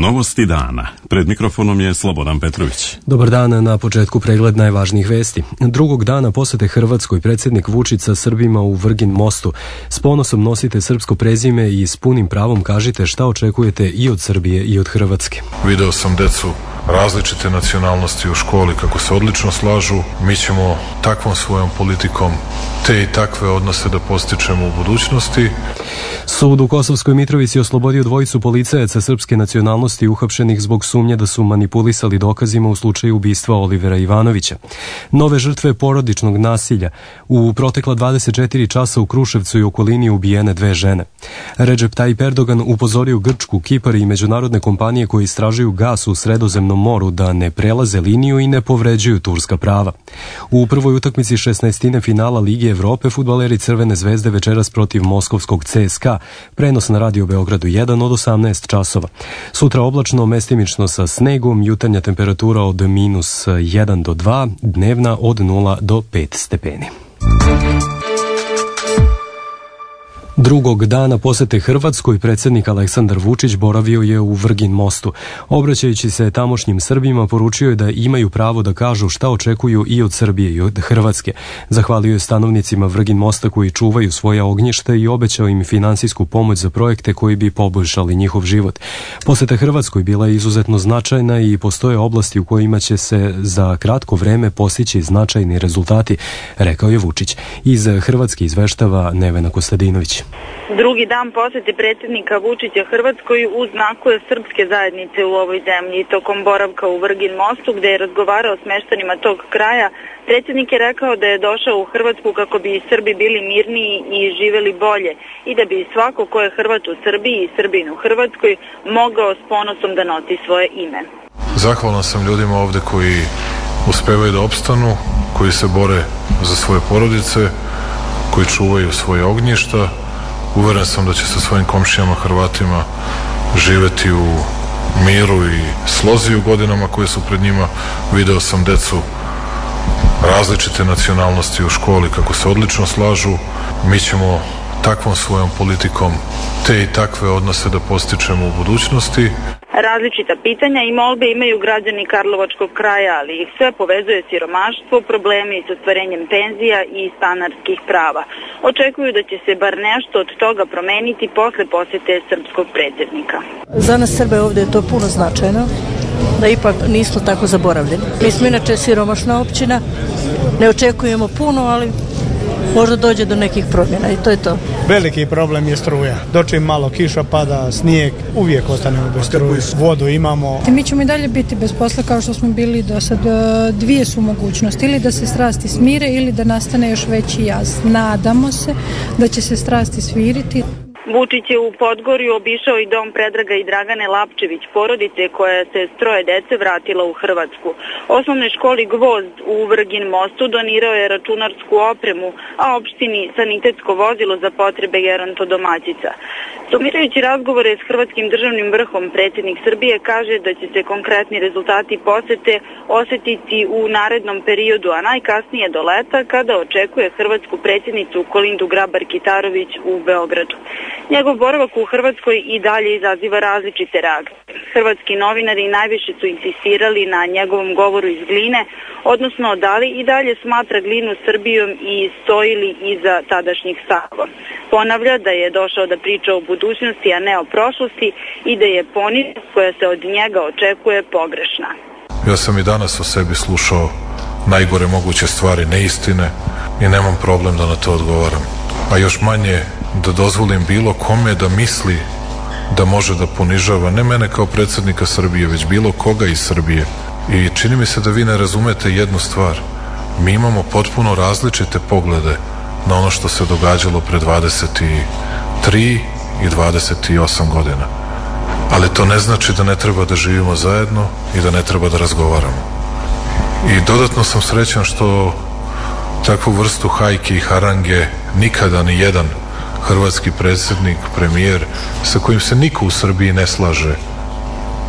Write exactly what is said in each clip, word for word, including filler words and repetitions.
Novosti dana. Pred mikrofonom je Slobodan Petrović. Dobar dan, na početku pregled najvažnijih vesti. Drugog dana posete Hrvatskoj predsjednik Vučić sa Srbima u Vrgin Mostu. S ponosom nosite srpsko prezime i s punim pravom kažite šta očekujete i od Srbije i od Hrvatske. Video sam decu različite nacionalnosti u školi kako se odlično slažu. Mi ćemo takvom svojom politikom te i takve odnose da postičemo u budućnosti. Sud u Kosovskoj Mitrovici oslobodio dvojicu policajaca srpske nacionalnosti uhapšenih zbog sumnje da su manipulisali dokazima u slučaju ubistva Olivera Ivanovića. Nove žrtve porodičnog nasilja. U protekla dvadeset četiri časa u Kruševcu i okolini ubijene dve žene. Recep Tayyip Erdogan upozorio Grčku, Kipar i međunarodne kompanije koji istražuju gas u Sredozemnom moru da ne prelaze liniju i ne povređuju turska prava. U prvoj utakmici šesnaestine finala Lige Evrope fudbaleri Crvene zvezde večeras protiv moskovskog C S K A. Prenos na Radio Beogradu jedan od osamnaest časova. Sutra oblačno, mestimično sa snegom, jutarnja temperatura od minus jedan do dva, dnevna od nula do pet stepeni. Drugog dana posete Hrvatskoj predsjednik Aleksandar Vučić boravio je u Vrgin Mostu. Obraćajući se tamošnjim Srbima, poručio je da imaju pravo da kažu šta očekuju i od Srbije i od Hrvatske. Zahvalio je stanovnicima Vrgin Mosta koji čuvaju svoja ognjišta i obećao im finansijsku pomoć za projekte koji bi poboljšali njihov život. Poseta Hrvatskoj bila je izuzetno značajna i postoje oblasti u kojima će se za kratko vreme postići značajni rezultati, rekao je Vučić. Iz Hrvatske izveštava Nevena Kostadinović. Drugi dan posete predsjednika Vučića Hrvatskoj u znaku je srpske zajednice u ovoj zemlji. Tokom boravka u Vrgin Mostu, gde je razgovarao s meštanima tog kraja, predsjednik je rekao da je došao u Hrvatsku kako bi i Srbi bili mirniji i živeli bolje i da bi svako ko je Hrvat u Srbiji i Srbin u Hrvatskoj mogao s ponosom da nosi svoje ime. Zahvalan sam ljudima ovde koji uspevaju da opstanu, koji se bore za svoje porodice, koji čuvaju svoje ognjišta. Uveren sam da će sa svojim komšijama Hrvatima živeti u miru i slozi u godinama koje su pred njima. Video sam decu različite nacionalnosti u školi kako se odlično slažu. Mi ćemo takvom svojom politikom te i takve odnose da postičemo u budućnosti. Različita pitanja i molbe imaju građani Karlovačkog kraja, ali ih sve povezuje siromaštvo, problemi s ostvarenjem penzija i stanarskih prava. Očekuju da će se bar nešto od toga promeniti posle posete srpskog predsjednika. Za nas Srbe ovdje je to puno značajno, da ipak nismo tako zaboravljeni. Mi smo inače siromašna općina, ne očekujemo puno, ali možda dođe do nekih promjena i to je to. Veliki problem je struja. Dočim malo kiša pada, snijeg, uvijek ostanemo bez struje. Vodu imamo. Mi ćemo i dalje biti bez posla kao što smo bili do sad. Dvije su mogućnosti, ili da se strasti smire ili da nastane još veći jaz. Nadamo se da će se strasti smiriti. Vučić je u Podgorju obišao i dom Predraga i Dragane Lapčević, porodice koja se s troje dece vratila u Hrvatsku. Osnovnoj školi Gvozd u Vrgin Mostu donirao je računarsku opremu, a opštini sanitetsko vozilo za potrebe gerontodomaćica. Sumirajući razgovore s hrvatskim državnim vrhom, predsjednik Srbije kaže da će se konkretni rezultati posete osetiti u narednom periodu, a najkasnije do leta kada očekuje hrvatsku predsjednicu Kolindu Grabar-Kitarović u Beogradu. Njegov boravak u Hrvatskoj i dalje izaziva različite reakcije. Hrvatski novinari najviše su insistirali na njegovom govoru iz Gline, odnosno da li i dalje smatra Glinu Srbijom i stoji li iza tadašnjih stavova. Ponavlja da je došao da priča o budućnosti, a ne o prošlosti i da je poniznost koja se od njega očekuje pogrešna. Ja sam i danas o sebi slušao najgore moguće stvari, neistine i nemam problem da na to odgovaram. A još manje da dozvolim bilo kome da misli da može da ponižava ne mene kao predsjednika Srbije, već bilo koga iz Srbije. I čini mi se da vi ne razumete jednu stvar. Mi imamo potpuno različite poglede na ono što se događalo pre dvadeset tri i dvadeset osam godina. Ali to ne znači da ne treba da živimo zajedno i da ne treba da razgovaramo. I dodatno sam srećan što takvu vrstu hajke i harange nikada ni jedan hrvatski predsjednik, premijer, sa kojim se niko u Srbiji ne slaže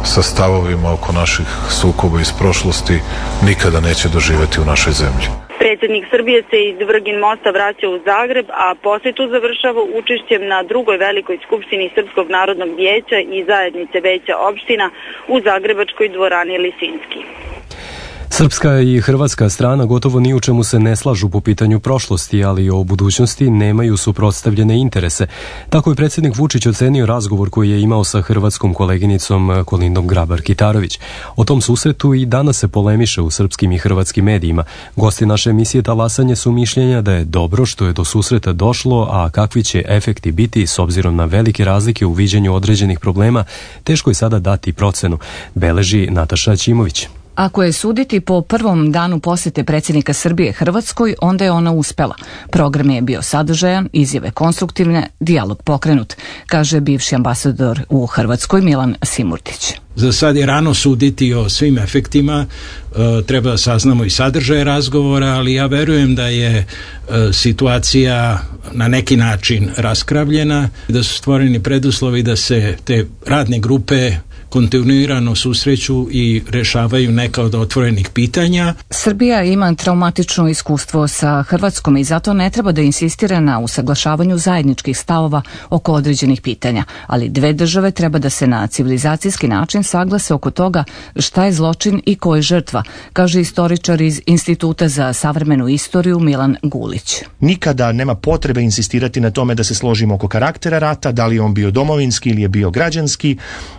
sa stavovima oko naših sukoba iz prošlosti, nikada neće doživjeti u našoj zemlji. Predsjednik Srbije se iz Vrgin mosta vraća u Zagreb, a posetu završava učešćem na drugoj velikoj skupštini Srpskog narodnog vijeća i zajednice veća opština u zagrebačkoj dvorani Lisinski. Srpska i hrvatska strana gotovo ni u čemu se ne slažu po pitanju prošlosti, ali o budućnosti nemaju suprotstavljene interese. Tako je predsjednik Vučić ocenio razgovor koji je imao sa hrvatskom koleginicom Kolindom Grabar-Kitarović. O tom susretu i danas se polemiše u srpskim i hrvatskim medijima. Gosti naše emisije Talasanje su mišljenja da je dobro što je do susreta došlo, a kakvi će efekti biti s obzirom na velike razlike u viđenju određenih problema, teško je sada dati procenu, beleži Nataša Ćimović. Ako je suditi po prvom danu posjete predsjednika Srbije Hrvatskoj, onda je ona uspela. Program je bio sadržajan, izjave konstruktivne, dijalog pokrenut, kaže bivši ambasador u Hrvatskoj Milan Simurdić. Za sad je rano suditi o svim efektima, e, treba da saznamo i sadržaje razgovora, ali ja verujem da je e, situacija na neki način raskravljena, da su stvoreni preduslovi da se te radne grupe kontinuirano susreću i rešavaju neka od otvorenih pitanja. Srbija ima traumatično iskustvo sa Hrvatskom i zato ne treba da insistira na usaglašavanju zajedničkih stavova oko određenih pitanja, ali dve države treba da se na civilizacijski način saglase oko toga šta je zločin i ko je žrtva, kaže istoričar iz Instituta za savremenu istoriju Milan Gulić. Nikada nema potrebe insistirati na tome da se složimo oko karaktera rata, da li je on bio domovinski ili je bio građanski,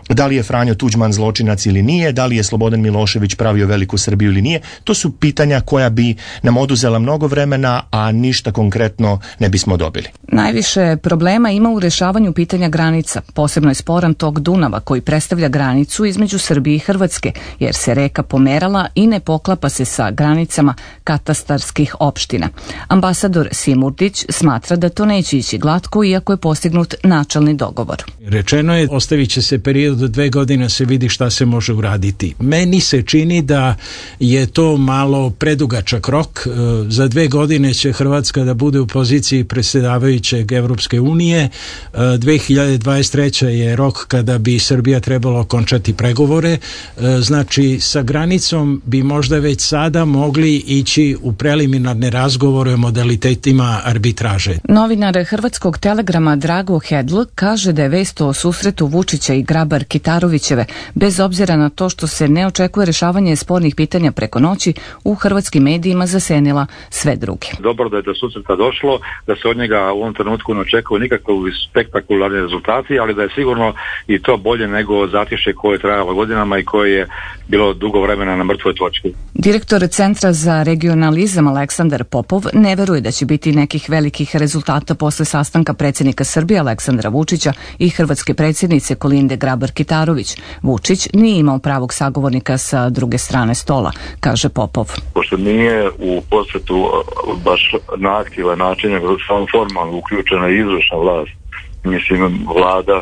da li je Franjo Tuđman zločinac ili nije, da li je Slobodan Milošević pravio veliku Srbiju ili nije. To su pitanja koja bi nam oduzela mnogo vremena, a ništa konkretno ne bismo dobili. Najviše problema ima u rešavanju pitanja granica. Posebno je sporan tok Dunava koji predstavlja granicu između Srbije i Hrvatske, jer se reka pomerala i ne poklapa se sa granicama katastarskih opština. Ambasador Simurdić smatra da to neće ići glatko, iako je postignut načelni dogovor. Rečeno je, ostavit će se period od dve godine se vidi šta se može uraditi. Meni se čini da je to malo predugačak rok. Za dve godine će Hrvatska da bude u poziciji predsjedavajućeg Evropske unije. dve hiljade dvadeset treća je rok kada bi Srbija trebalo okončati pregovore. Znači, sa granicom bi možda već sada mogli ići u preliminarne razgovore o modalitetima arbitraže. Novinar Hrvatskog telegrama Drago Hedl kaže da je vest o susretu Vučića i Grabar-Kitarovićeve, bez obzira na to što se ne očekuje rešavanje spornih pitanja preko noći, u hrvatskim medijima zasenila sve druge. Dobro da je do susreta došlo, da se od njega u ovom trenutku ne očekuju nikakve spektakularni rezultati, ali da je sigurno i to bolje nego zatišje koje je trajalo godinama i koje je bilo dugo vremena na mrtvoj točki. Direktor Centra za regionalizam Aleksandar Popov ne veruje da će biti nekih velikih rezultata posle sastanka predsjednika Srbije Aleksandra Vučića i hrvatske predsjednice Kolinde Grabar-Kitarović. Vučić nije imao pravog sagovornika sa druge strane stola, kaže Popov. Pošto nije u posjetu baš na aktivan način, nego samo formalno uključena izvršna vlast, mislim vlada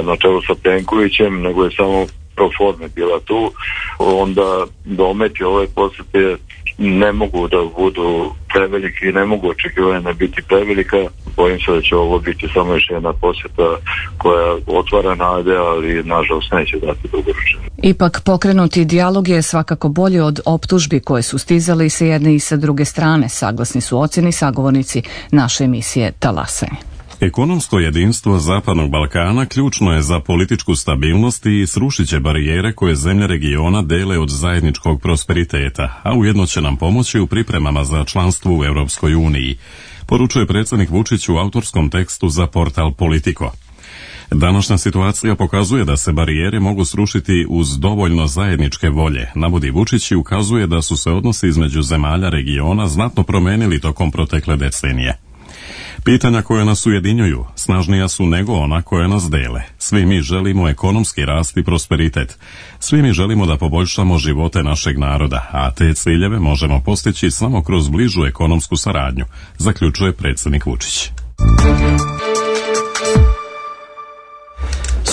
na čelu sa Plenkovićem, nego je samo pro forme bila tu, onda dometi ove posjete ne mogu da budu preveliki i ne mogu očekivanja biti prevelika. Bojim se da će ovo biti samo još jedna posjeta koja otvara nade, ali nažalost neće dati dugoročno. Ipak pokrenuti dijalog je svakako bolje od optužbi koje su stizale i sa jedne i sa druge strane, saglasni su ocjeni sagovornici naše emisije Talasanje. Ekonomsko jedinstvo Zapadnog Balkana ključno je za političku stabilnost i srušit će barijere koje zemlje regiona dele od zajedničkog prosperiteta, a ujedno će nam pomoći u pripremama za članstvo u Europskoj uniji, poručuje predsjednik Vučić u autorskom tekstu za portal Politico. Današnja situacija pokazuje da se barijere mogu srušiti uz dovoljno zajedničke volje, navodi Vučić i ukazuje da su se odnosi između zemalja regiona znatno promenili tokom protekle decenije. Pitanja koje nas ujedinjuju snažnija su nego ona koje nas dele. Svi mi želimo ekonomski rast i prosperitet. Svi mi želimo da poboljšamo živote našeg naroda, a te ciljeve možemo postići samo kroz bližu ekonomsku saradnju, zaključuje predsjednik Vučić.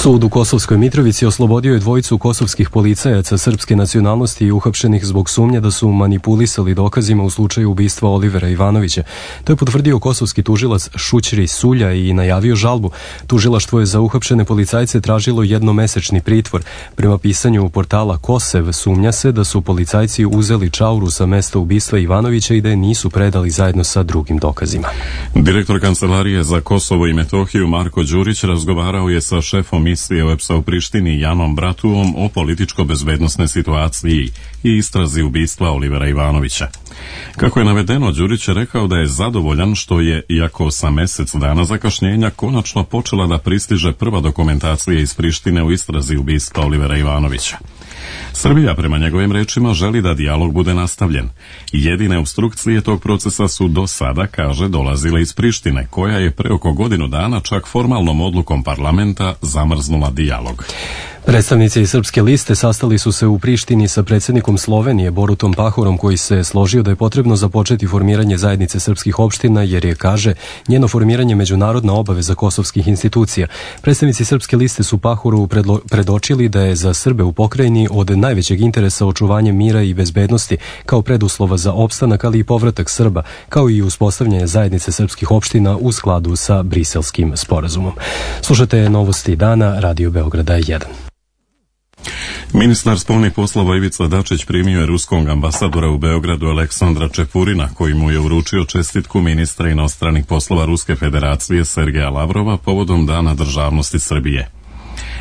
Sud u Kosovskoj Mitrovici oslobodio je dvojicu kosovskih policajaca srpske nacionalnosti i uhapšenih zbog sumnje da su manipulisali dokazima u slučaju ubistva Olivera Ivanovića. To je potvrdio kosovski tužilac Šućri Sulja i najavio žalbu. Tužilaštvo je za uhapšene policajce tražilo jednomesečni pritvor. Prema pisanju portala Kosev sumnja se da su policajci uzeli čauru sa mesta ubistva Ivanovića i da je nisu predali zajedno sa drugim dokazima. Direktor Kancelarije za Kosovo i Metohiju Marko Đurić razgovarao je sa šefom misije O E P S-a u Prištini Janom Bratuom o političko-bezbednosnoj situaciji i istrazi ubistva Olivera Ivanovića. Kako je navedeno, Đurić je rekao da je zadovoljan što je, iako sa mesec dana zakašnjenja, konačno počela da pristiže prva dokumentacija iz Prištine u istrazi ubistva Olivera Ivanovića. Srbija, prema njegovim rečima, želi da dijalog bude nastavljen. Jedine obstrukcije tog procesa su do sada, kaže, dolazile iz Prištine, koja je pre oko godinu dana čak formalnom odlukom parlamenta zamrznula dijalog. Predstavnici Srpske liste sastali su se u Prištini sa predsjednikom Slovenije Borutom Pahorom, koji se složio da je potrebno započeti formiranje zajednice srpskih opština jer je, kaže, njeno formiranje međunarodna obaveza kosovskih institucija. Predstavnici Srpske liste su Pahoru predlo, predočili da je za Srbe u pokrajini od najvećeg interesa očuvanje mira i bezbednosti kao preduslova za opstanak, ali i povratak Srba, kao i uspostavljanje zajednice srpskih opština u skladu sa Briselskim sporazumom. Slušate novosti dana, Radio Beograda jedan. Ministar spoljnih poslova Ivica Dačić primio je ruskog ambasadora u Beogradu Aleksandra Čepurina, koji mu je uručio čestitku ministra inostranih poslova Ruske federacije Sergeja Lavrova povodom Dana državnosti Srbije.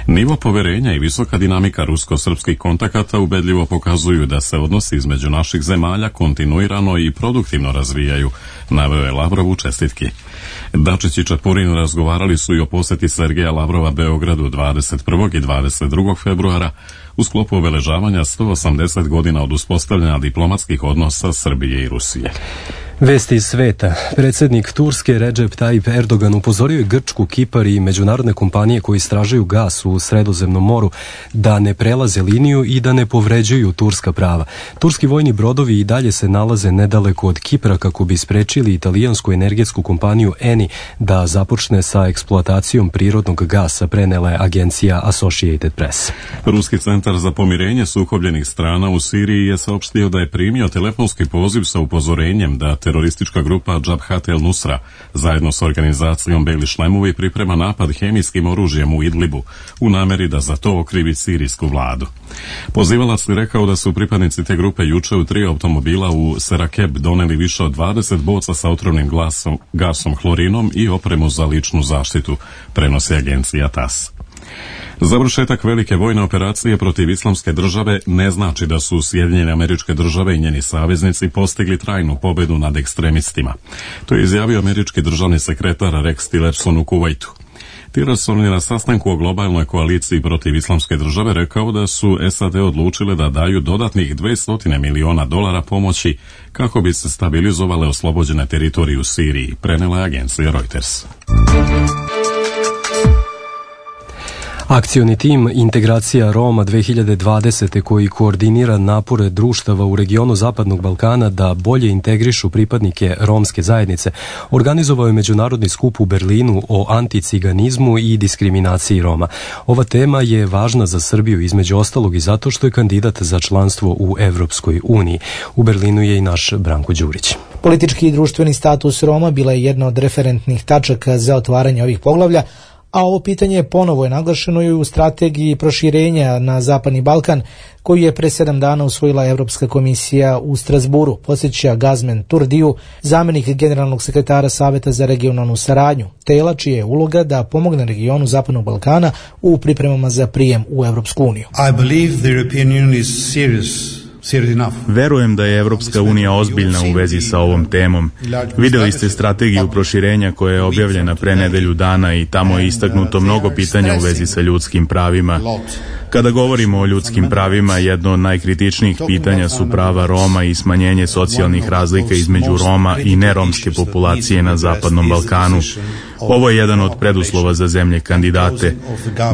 Nivo poverenja i visoka dinamika rusko-srpskih kontakata ubedljivo pokazuju da se odnosi između naših zemalja kontinuirano i produktivno razvijaju, naveo je Lavrov u čestitki. Dačić i Čepurin razgovarali su i o poseti Sergeja Lavrova Beogradu dvadeset prvog i dvadeset drugog februara u sklopu obeležavanja sto osamdeset godina od uspostavljanja diplomatskih odnosa Srbije i Rusije. Vesti iz sveta. Predsjednik Turske Recep Tayyip Erdogan upozorio je Grčku, Kipar i međunarodne kompanije koji istražuju gas u Sredozemnom moru da ne prelaze liniju i da ne povređuju turska prava. Turski vojni brodovi i dalje se nalaze nedaleko od Kipra kako bi sprečili italijansku energetsku kompaniju Eni da započne sa eksploatacijom prirodnog gasa, prenela je agencija Associated Press. Ruski centar za pomirenje sukobljenih strana u Siriji je saopštio da je primio telefonski poziv sa upozorenjem da teroristička grupa Jabhat el-Nusra zajedno s organizacijom Beli šlemovi priprema napad hemijskim oružjem u Idlibu u nameri da za to okrivi sirijsku vladu. Pozivalac je rekao da su pripadnici te grupe juče u tri automobila u Serakeb doneli više od dvadeset boca sa otrovnim glasom, gasom hlorinom i opremu za ličnu zaštitu, prenosi agencija TAS. Završetak velike vojne operacije protiv islamske države ne znači da su Sjedinjene Američke Države i njeni saveznici postigli trajnu pobedu nad ekstremistima. To je izjavio američki državni sekretar Rex Tillerson u Kuvajtu. Tillerson je na sastanku o globalnoj koaliciji protiv islamske države rekao da su S A D odlučile da daju dodatnih dvesta miliona dolara pomoći kako bi se stabilizovale oslobođene teritorije u Siriji, prenela je agencija Reuters. Akcioni tim Integracija Roma dve hiljade dvadesete koji koordinira napore društava u regionu Zapadnog Balkana da bolje integrišu pripadnike romske zajednice, organizovao je međunarodni skup u Berlinu o anticiganizmu i diskriminaciji Roma. Ova tema je važna za Srbiju između ostalog i zato što je kandidat za članstvo u Evropskoj uniji. U Berlinu je i naš Branko Đurić. Politički i društveni status Roma bila je jedna od referentnih tačaka za otvaranje ovih poglavlja, a ovo pitanje ponovo je naglašeno i u strategiji proširenja na Zapadni Balkan, koju je pre sedam dana usvojila Evropska komisija u Strasburu, podsjeća Gazmen Turdiju, zamjenik generalnog sekretara Saveta za regionalnu saradnju, tela čija je uloga da pomogne regionu Zapadnog Balkana u pripremama za prijem u Evropsku uniju. I believe the European Union is serious. Verujem da je Evropska unija ozbiljna u vezi sa ovom temom. Videli ste strategiju proširenja koja je objavljena pre nedelju dana i tamo je istaknuto mnogo pitanja u vezi sa ljudskim pravima. Kada govorimo o ljudskim pravima, jedno od najkritičnijih pitanja su prava Roma i smanjenje socijalnih razlika između Roma i neromske populacije na Zapadnom Balkanu. Ovo je jedan od preduslova za zemlje kandidate.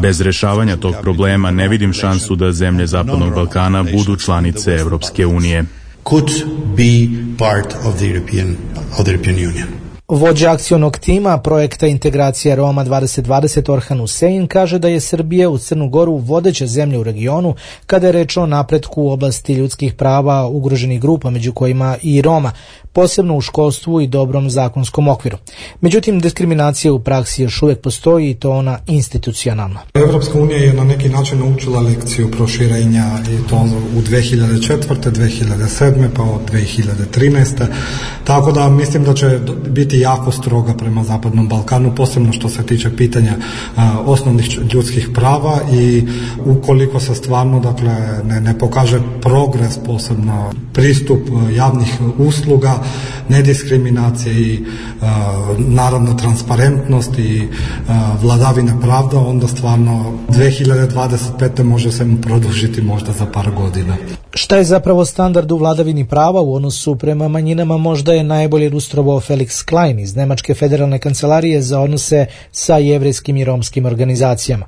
Bez rešavanja tog problema ne vidim šansu da zemlje Zapadnog Balkana budu članice Evropske unije. Could be part of the European, of the European Union. Vođa akcionog tima projekta Integracija Roma dvadeset dvadeset Orhan Husein kaže da je Srbija u Crnu Goru vodeća zemlja u regionu kada je reč o napretku u oblasti ljudskih prava ugroženih grupa, među kojima i Roma, posebno u školstvu i dobrom zakonskom okviru. Međutim, diskriminacija u praksi još uvijek postoji i to ona institucionalna. Evropska unija je na neki način naučila lekciju proširenja i to u dve hiljade četvrte. dve hiljade sedme. pa od dve hiljade trinaeste. Tako da mislim da će biti jako stroga prema Zapadnom Balkanu, posebno što se tiče pitanja a, osnovnih ljudskih prava i ukoliko se stvarno dakle, ne, ne pokaže progres, posebno pristup javnih usluga, nediskriminacije i a, naravno transparentnost i a, vladavina pravda, onda stvarno dve hiljade dvadeset pete. može se mu produžiti možda za par godina. Šta je zapravo standard u vladavini prava u odnosu prema manjinama možda je najbolje ilustrovao Felix Klein iz Nemačke federalne kancelarije za odnose sa jevrejskim i romskim organizacijama.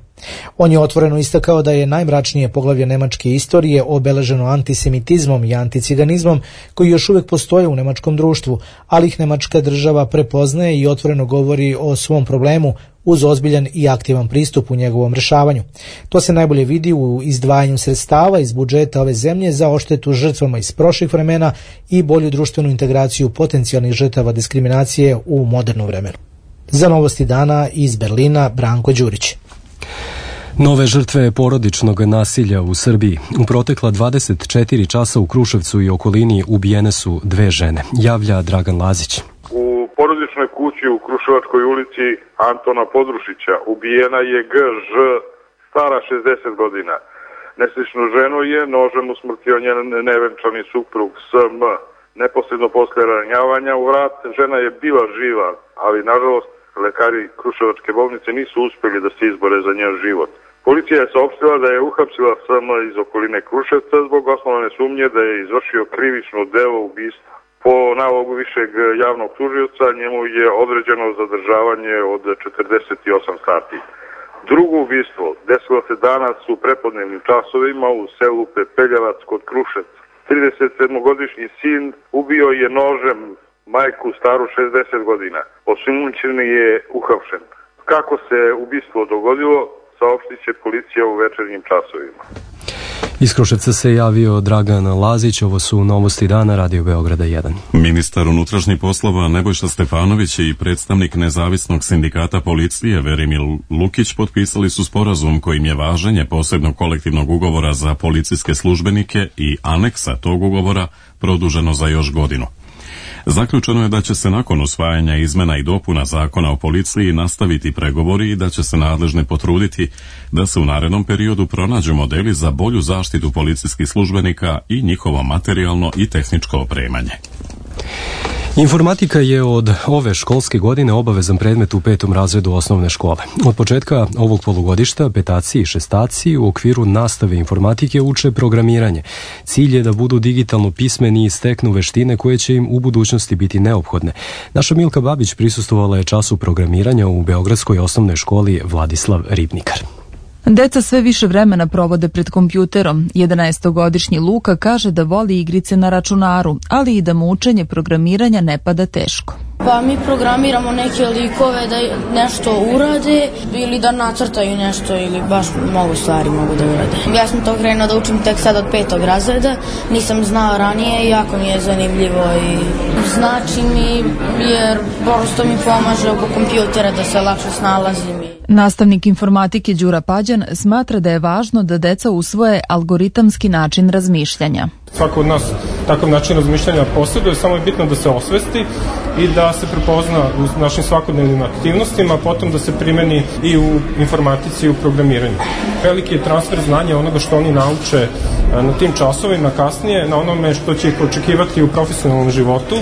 On je otvoreno istakao da je najmračnije poglavlje nemačke istorije obeleženo antisemitizmom i anticiganizmom koji još uvijek postoje u nemačkom društvu, ali ih nemačka država prepoznaje i otvoreno govori o svom problemu uz ozbiljan i aktivan pristup u njegovom rešavanju. To se najbolje vidi u izdvajanju sredstava iz budžeta ove zemlje za odštetu žrtvama iz prošlih vremena i bolju društvenu integraciju potencijalnih žrtava diskriminacije u modernom vremenu. Za Novosti dana iz Berlina, Branko Đurić. Nove žrtve porodičnog nasilja u Srbiji. U protekla dvadeset četiri časa u Kruševcu i okolini ubijene su dve žene, javlja Dragan Lazić. U porodičnoj kući u Kruševačkoj ulici Antona Podrušića ubijena je G Ž, stara šezdeset godina. Nesličnu ženu je nožem usmrtio njen nevenčani suprug S M. Neposredno posle ranjavanja u vrat žena je bila živa, ali nažalost lekari Kruševačke bolnice nisu uspjeli da se izbore za njen život. Policija je saopštila da je uhapsila S M iz okoline Kruševca zbog osnovane sumnje da je izvršio krivično delo ubistva. Po nalogu višeg javnog tužioca njemu je određeno zadržavanje od četrdeset osam sati. Drugo ubistvo desilo se danas u prepodnevnim časovima u selu Pepeljavac kod Kruševca. tridesetsedmogodišnji sin ubio je nožem majku staru šezdeset godina. Osumnjičeni je uhapšen. Kako se ubistvo dogodilo, saopštit će policija u večernjim časovima. Iz Kruševca se javio Dragan Lazić, ovo su Novosti dana, Radio Beograda jedan. Ministar unutrašnjih poslova Nebojša Stefanović i predstavnik nezavisnog sindikata policije Verimir Lukić potpisali su sporazum kojim je važenje posebnog kolektivnog ugovora za policijske službenike i aneksa tog ugovora produženo za još godinu. Zaključeno je da će se nakon usvajanja izmena i dopuna zakona o policiji nastaviti pregovori i da će se nadležni potruditi da se u narednom periodu pronađu modeli za bolju zaštitu policijskih službenika i njihovo materijalno i tehničko opremanje. Informatika je od ove školske godine obavezan predmet u petom razredu osnovne škole. Od početka ovog polugodišta petaci i šestaci u okviru nastave informatike uče programiranje. Cilj je da budu digitalno pismeni i steknu veštine koje će im u budućnosti biti neophodne. Naša Milka Babić prisustvovala je času programiranja u Beogradskoj osnovnoj školi Vladislav Ribnikar. Deca sve više vremena provode pred kompjuterom. jedanaestogodišnji Luka kaže da voli igrice na računaru, ali i da mu učenje programiranja ne pada teško. Pa mi programiramo neke likove da nešto urade ili da nacrtaju nešto ili baš mnogo stvari mogu da urade. Ja sam to krenuo da učim tek sad od petog razreda, nisam znao ranije i jako mi je zanimljivo i znači mi jer prosto mi pomaže oko kompjutera da se lakše snalazim. Nastavnik informatike Đura Pađan smatra da je važno da deca usvoje algoritamski način razmišljanja. Svako od nas takav način razmišljanja posjeduje, samo je bitno da se osvesti i da se prepozna u našim svakodnevnim aktivnostima, potom da se primeni i u informatici i u programiranju. Veliki je transfer znanja onoga što oni nauče na tim časovima kasnije, na onome što će ih očekivati u profesionalnom životu,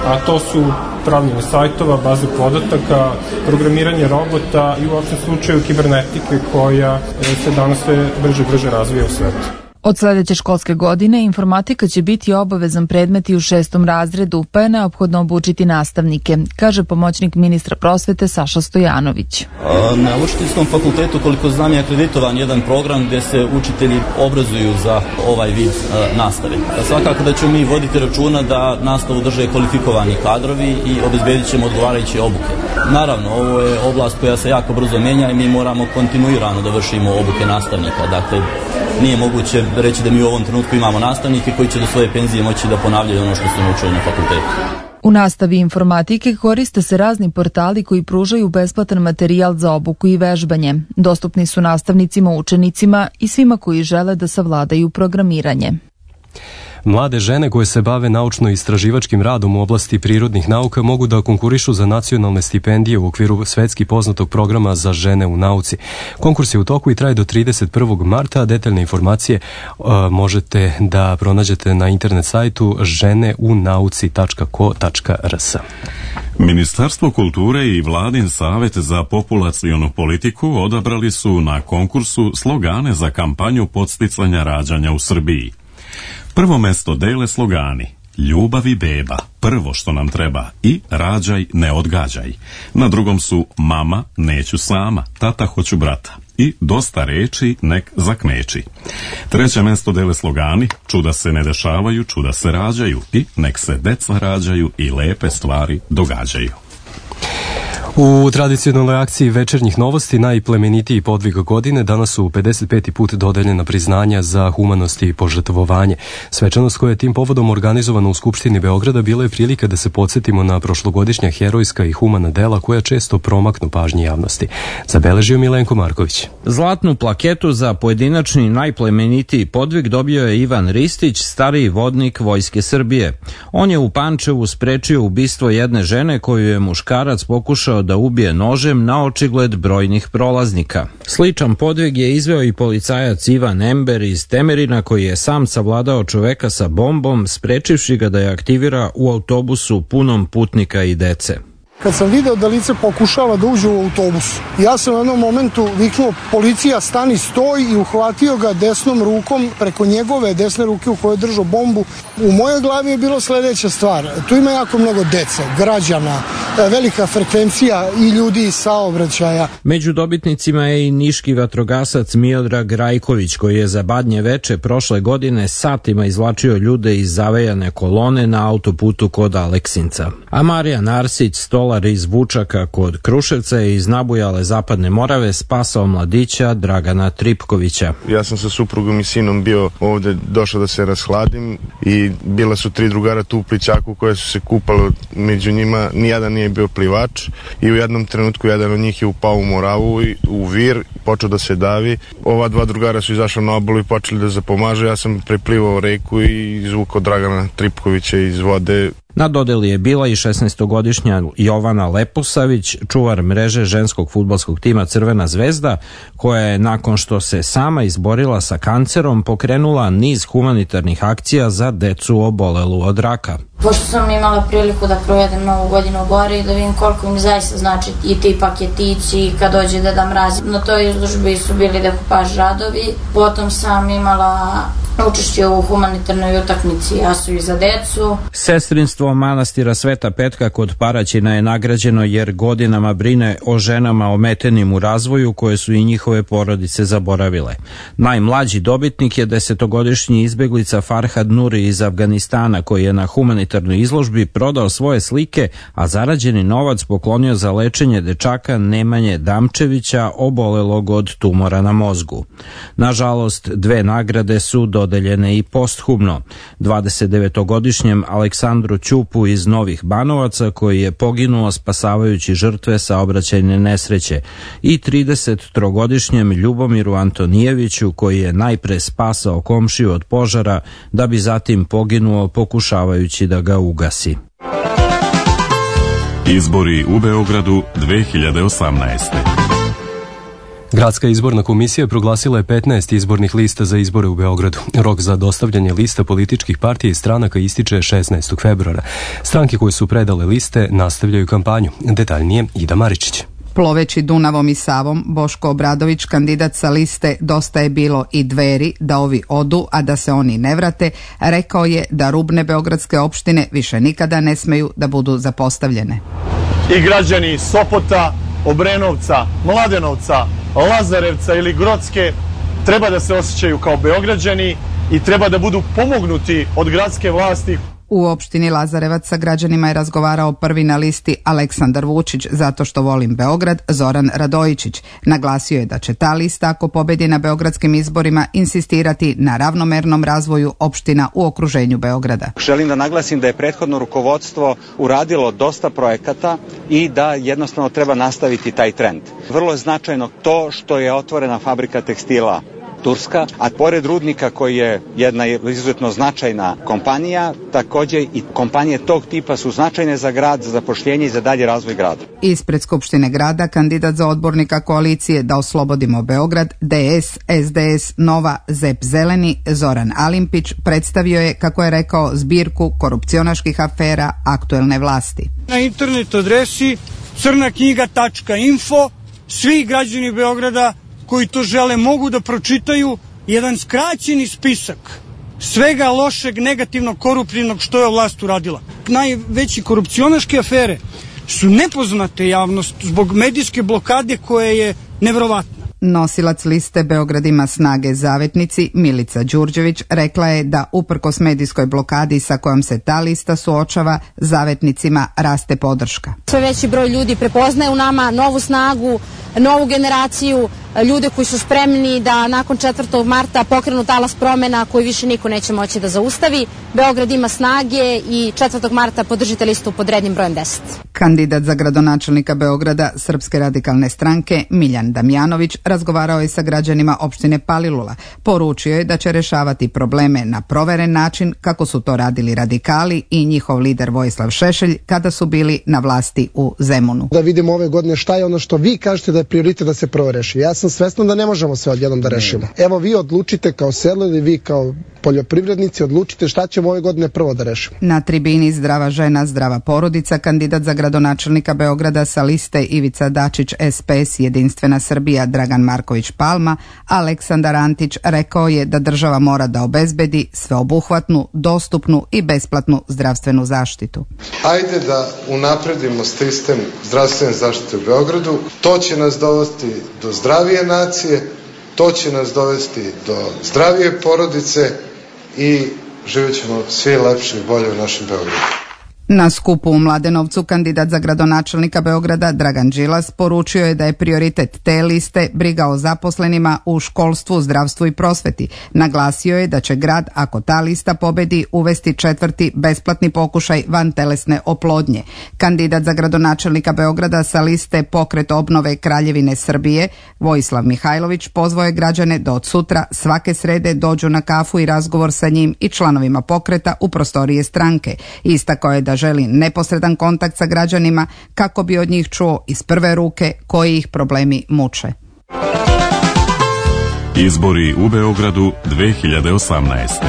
a to su pravljenje sajtova, baze podataka, programiranje robota i u opštem slučaju kibernetike koja se danas sve brže brže razvija u svetu. Od sledeće školske godine informatika će biti obavezan predmet i u šestom razredu, pa je neophodno obučiti nastavnike, kaže pomoćnik ministra prosvete Saša Stojanović. Na Učiteljskom fakultetu, koliko znam, je akreditovan jedan program gde se učitelji obrazuju za ovaj vid a, nastave. A svakako da ćemo mi voditi računa da nastavu drže kvalifikovani kadrovi i obezbedit ćemo odgovarajuće obuke. Naravno, ovo je oblast koja se jako brzo menja i mi moramo kontinuirano da vršimo obuke nastavnika. Dakle, nije moguće reći da mi u ovom trenutku imamo nastavnike koji će do svoje penzije moći da ponavljaju ono što su naučili na fakultetu. U nastavi informatike koriste se razni portali koji pružaju besplatan materijal za obuku i vežbanje. Dostupni su nastavnicima, učenicima i svima koji žele da savladaju programiranje. Mlade žene koje se bave naučno-istraživačkim radom u oblasti prirodnih nauka mogu da konkurišu za nacionalne stipendije u okviru svetski poznatog programa za žene u nauci. Konkurs je u toku i traje do trideset prvog marta, a detaljne informacije uh, možete da pronađete na internet sajtu žene u nauci tačka ko tačka r s. Ministarstvo kulture i Vladin savjet za populacionu politiku odabrali su na konkursu slogane za kampanju podsticanja rađanja u Srbiji. Prvo mesto dele slogani Ljubav i beba, prvo što nam treba, i rađaj, ne odgađaj. Na drugom su Mama, neću sama, Tata, hoću brata i Dosta reči, nek zakmeči. Treće mesto dele slogani Čuda se ne dešavaju, čuda se rađaju i Nek se deca rađaju i lepe stvari događaju. U tradicionalnoj akciji večernjih novosti najplemenitiji podvig godine danas su pedeset peti put dodeljena priznanja za humanost i požrtvovanje. Svečanost koja je tim povodom organizovana u Skupštini Beograda bila je prilika da se podsjetimo na prošlogodišnja herojska i humana dela koja često promaknu pažnji javnosti. Zabeležio Milenko Marković. Zlatnu plaketu za pojedinačni najplemenitiji podvig dobio je Ivan Ristić, stariji vodnik Vojske Srbije. On je u Pančevu sprečio ubistvo jedne žene koju je muškarac pokušao da ubije nožem na očigled brojnih prolaznika. Sličan podvig je izveo i policajac Ivan Ember iz Temerina koji je sam savladao čoveka sa bombom, sprečivši ga da je aktivira u autobusu punom putnika i dece. Kad sam video da lice pokušava da uđe u autobus, ja sam u jednom momentu viknuo policija stani, stoj, i uhvatio ga desnom rukom preko njegove desne ruke u kojoj je držao bombu. U mojoj glavi je bilo sledeća stvar. Tu ima jako mnogo dece, građana, velika frekvencija i ljudi iz saobraćaja. Među dobitnicima je i niški vatrogasac Miodrag Rajković koji je za Badnje veče prošle godine satima izvlačio ljude iz zavejane kolone na autoputu kod Aleksinca. A Marijan Arsić, stolar iz Vučaka kod Kruševca je iz nabujale Zapadne Morave spasao mladića Dragana Tripkovića. Ja sam sa suprugom i sinom bio ovde, došao da se rashladim i bila su tri drugara tu u plićaku koje su se kupale, među njima nijedan nije bio plivač i u jednom trenutku jedan od njih je upao u Moravu i u vir, počeo da se davi. Ova dva drugara su izašla na obalu i počeli da zapomažu. Ja sam preplivao reku i izvukao Dragana Tripkovića iz vode. Na dodeli je bila i šesnaestogodišnja Jovana Leposavić, čuvar mreže ženskog fudbalskog tima Crvena zvezda, koja je nakon što se sama izborila sa kancerom pokrenula niz humanitarnih akcija za decu obolelu od raka. Pošto sam imala priliku da provedem novu godinu u Bori i da vidim koliko im zaista znači i ti paketići kad dođe Deda Mraz. Na toj izložbi su bili dekupaž radovi, potom sam imala učešće u humanitarnoj utakmici Jasu i za decu. Sestrinstvo manastira Sveta Petka kod Paraćina je nagrađeno jer godinama brine o ženama ometenim u razvoju koje su i njihove porodice zaboravile. Najmlađi dobitnik je desetogodišnji izbeglica Farhad Nuri iz Afganistana koji je na humanitarnoj izložbi prodao svoje slike, a zarađeni novac poklonio za lečenje dečaka Nemanje Damčevića obolelog od tumora na mozgu. Nažalost, dve nagrade su dodeljene i posthumno. dvadesetdevetogodišnjem Aleksandru Ćupu iz Novih Banovaca koji je poginuo spasavajući žrtve saobraćajne nesreće i tridesettrogodišnjem Ljubomiru Antonijeviću koji je najpre spasao komšiju od požara da bi zatim poginuo pokušavajući da ga ugasi. Izbori u Beogradu dve hiljade osamnaeste. Gradska izborna komisija proglasila je petnaest izbornih lista za izbore u Beogradu. Rok za dostavljanje lista političkih partija i stranaka ističe šesnaestog februara. Stranke koje su predale liste nastavljaju kampanju. Detaljnije Ida Maričić. Ploveći Dunavom i Savom, Boško Obradović, kandidat sa liste Dosta je bilo i Dveri, da ovi odu, a da se oni ne vrate, rekao je da rubne beogradske opštine više nikada ne smeju da budu zapostavljene. I građani Sopota, Obrenovca, Mladenovca, Lazarevca ili Grocke treba da se osjećaju kao Beograđani i treba da budu pomognuti od gradske vlasti. U opštini Lazarevac sa građanima je razgovarao prvi na listi Aleksandar Vučić, zato što volim Beograd, Zoran Radojičić. Naglasio je da će ta lista, ako pobedi na beogradskim izborima, insistirati na ravnomernom razvoju opština u okruženju Beograda. Želim da naglasim da je prethodno rukovodstvo uradilo dosta projekata i da jednostavno treba nastaviti taj trend. Vrlo je značajno to što je otvorena fabrika tekstila Turska, a pored rudnika koji je jedna izuzetno značajna kompanija, također i kompanije tog tipa su značajne za grad, za zapošljenje i za dalji razvoj grada. Ispred Skupštine grada kandidat za odbornika koalicije Da oslobodimo Beograd, D S, S D S, Nova, Z E P Zeleni, Zoran Alimpić predstavio je, kako je rekao, zbirku korupcionaških afera aktuelne vlasti. Na internet adresi crna knjiga tačka info svi građani Beograda koji to žele mogu da pročitaju jedan skraćeni spisak svega lošeg, negativnog, koruptivnog što je vlast uradila. Najveći korupcionaške afere su nepoznate javnost zbog medijske blokade koja je neverovatna. Nosilac liste Beograd ima snage zavetnici Milica Đurđević rekla je da uprkos medijskoj blokadi sa kojom se ta lista suočava, zavetnicima raste podrška. Sve veći broj ljudi prepoznaje u nama novu snagu, novu generaciju, ljude koji su spremni da nakon četvrtog marta pokrenu talas promena koji više niko neće moći da zaustavi. Beograd ima snage i četvrtog marta podržite listu pod rednim brojem deset. Kandidat za gradonačelnika Beograda Srpske radikalne stranke Miljan Damjanović razgovarao je sa građanima opštine Palilula. Poručio je da će rešavati probleme na proveren način kako su to radili radikali i njihov lider Vojislav Šešelj kada su bili na vlasti u Zemunu. Da vidimo ove godine šta je ono što vi kažete da je prioritet da se prvo reši. Ja sam svestan da ne možemo sve odjednom da rešimo. Evo vi odlučite kao selo ili vi kao poljoprivrednici odlučite šta ćemo ove godine prvo da rešimo. Na tribini Zdrava žena, zdrava porodica kandidat za gradonačelnika Beograda sa liste Ivica Dačić S P S Jedinstvena Srbija Dragan Marković Palma, Aleksandar Antić rekao je da država mora da obezbedi sveobuhvatnu, dostupnu i besplatnu zdravstvenu zaštitu. Ajde da unapredimo sistem zdravstvene zaštite u Beogradu, to će nas dovesti do zdravije nacije, to će nas dovesti do zdravije porodice i živjet ćemo svi lepše i bolje u našem Beogradu. Na skupu u Mladenovcu kandidat za gradonačelnika Beograda Dragan Đilas poručio je da je prioritet te liste briga o zaposlenima u školstvu, zdravstvu i prosveti. Naglasio je da će grad, ako ta lista pobedi, uvesti četvrti besplatni pokušaj vantelesne oplodnje. Kandidat za gradonačelnika Beograda sa liste Pokret obnove Kraljevine Srbije Vojislav Mihajlović pozvao je građane da od sutra svake srede dođu na kafu i razgovor sa njim i članovima pokreta u prostorije stranke. Istakao je da želi neposredan kontakt sa građanima kako bi od njih čuo iz prve ruke koji ih problemi muče. Izbori u Beogradu dve hiljade osamnaeste.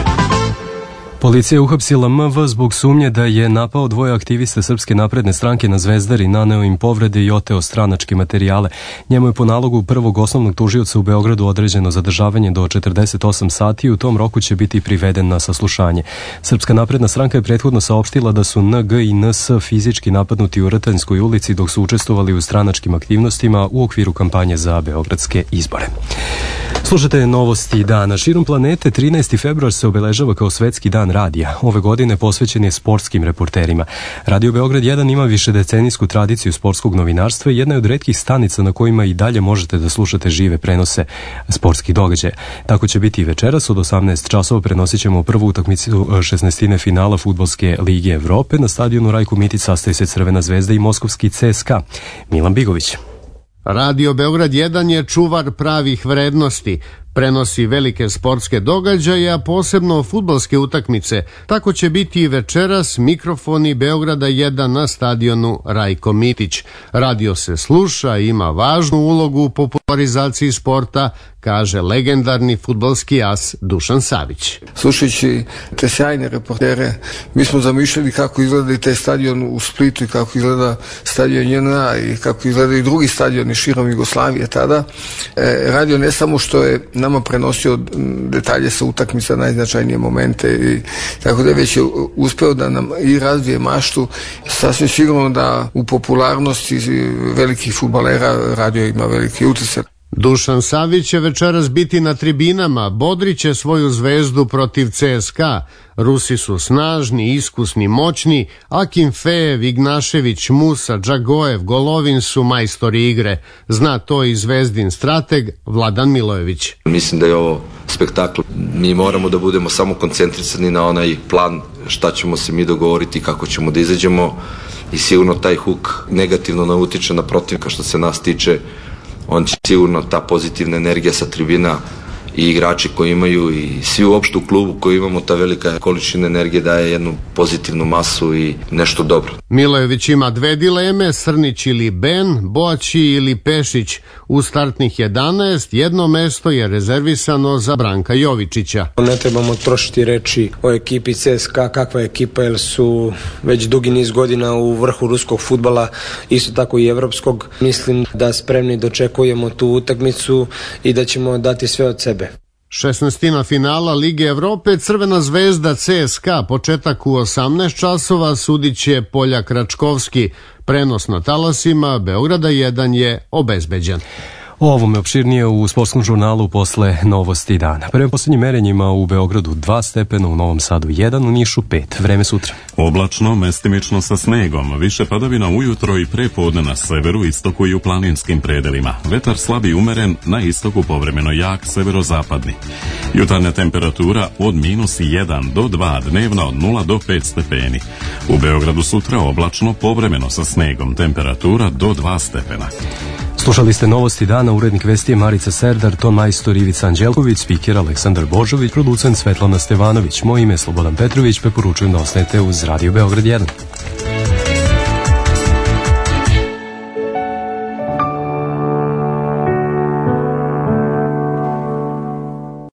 Policija je uhapsila M V zbog sumnje da je napao dvoje aktivista Srpske napredne stranke na Zvezdari, naneo im povrede i oteo stranačke materijale. Njemu je po nalogu prvog osnovnog tužioca u Beogradu određeno zadržavanje do četrdeset osam sati i u tom roku će biti priveden na saslušanje. Srpska napredna stranka je prethodno saopštila da su N G i N S fizički napadnuti u Rtanjskoj ulici dok su učestvovali u stranačkim aktivnostima u okviru kampanje za beogradske izbore. Slušajte novosti dana. Širom planete trinaesti februar se obeležava kao svetski dan radija. Ove godine posvećen je sportskim reporterima. Radio Beograd jedan ima višedecenijsku tradiciju sportskog novinarstva i jedna je od retkih stanica na kojima i dalje možete da slušate žive prenose sportskih događaja. Tako će biti i večeras od osamnaest časova prenosit ćemo prvu utakmicu šesnaestine finala Fudbalske lige Evrope. Na stadionu Rajko Mitić sastaje se Crvena zvezda i moskovski C S K A. Milan Bigović. Radio Beograd jedan je čuvar pravih vrednosti. Prenosi velike sportske događaje, a posebno fudbalske utakmice. Tako će biti i večeras mikrofoni Beograda jedan na stadionu Rajko Mitić. Radio se sluša i ima važnu ulogu u popularizaciji sporta, kaže legendarni fudbalski as Dušan Savić. Slušajući te sjajne reportere, mi smo zamišljali kako izgleda i taj stadion u Splitu i kako izgleda stadion J N A i kako izgleda i drugi stadioni širom Jugoslavije tada. E, radio ne samo što je nama prenosio detalje sa utakmica, najznačajnije momente, i tako da je već uspeo da nam i razvije maštu. Sasvim sigurno da u popularnosti velikih fudbalera radio ima veliki utjecaj. Dušan Savić će večeras biti na tribinama, bodriće svoju zvezdu protiv C S K A. Rusi su snažni, iskusni, moćni, a Kimfejev, Ignašević, Musa, Džagojev, Golovin su majstori igre. Zna to i zvezdin strateg Vladan Milojević. Mislim da je ovo spektakl. Mi moramo da budemo samo koncentrisani na onaj plan šta ćemo se mi dogovoriti, kako ćemo da izađemo, i sigurno taj huk negativno ne utiče na protivnika što se nas tiče. On će sigurno, ta pozitivna energija sa tribina i igrači koji imaju i svi uopšte u klubu koji imamo, ta velika količina energije daje jednu pozitivnu masu i nešto dobro. Milojević ima dve dileme, Srnić ili Ben, Boaći ili Pešić. U startnih jedanaest jedno mesto je rezervisano za Branka Jovičića. Ne trebamo trošiti reči o ekipi C S K A, kakva je ekipa, jer su već dugi niz godina u vrhu ruskog fudbala, isto tako i evropskog. Mislim da spremni dočekujemo tu utakmicu i da ćemo dati sve od sebe. šesnaestina finala Lige Evrope, Crvena zvezda C S K A, početak u osamnaest časova, sudit će Poljak Račkovski. Prenos na talasima Beograda jedan je obezbeđen. O ovome opširnije u sportskom žurnalu posle novosti dana. Prema poslednjim merenjima u Beogradu dva stepena, u Novom Sadu jedan, u Nišu pet. Vreme sutra. Oblačno, mestimično sa snegom, više padavina ujutro i prepodne na severu, istoku i u planinskim predelima. Vetar slab i umeren, na istoku povremeno jak, severozapadni. Jutarnja temperatura od minus jedan do dva, dnevna od nula do pet stepeni. U Beogradu sutra oblačno, povremeno sa snegom, temperatura do dva stepena. Slušali ste novosti dana, urednik vesti je Marica Serdar, ton majstor Ivica Anđelković, spiker Aleksandar Božović, producent Svetlana Stevanović. Moje ime je Slobodan Petrović, preporučujem da ostanete uz Radio Beograd jedan.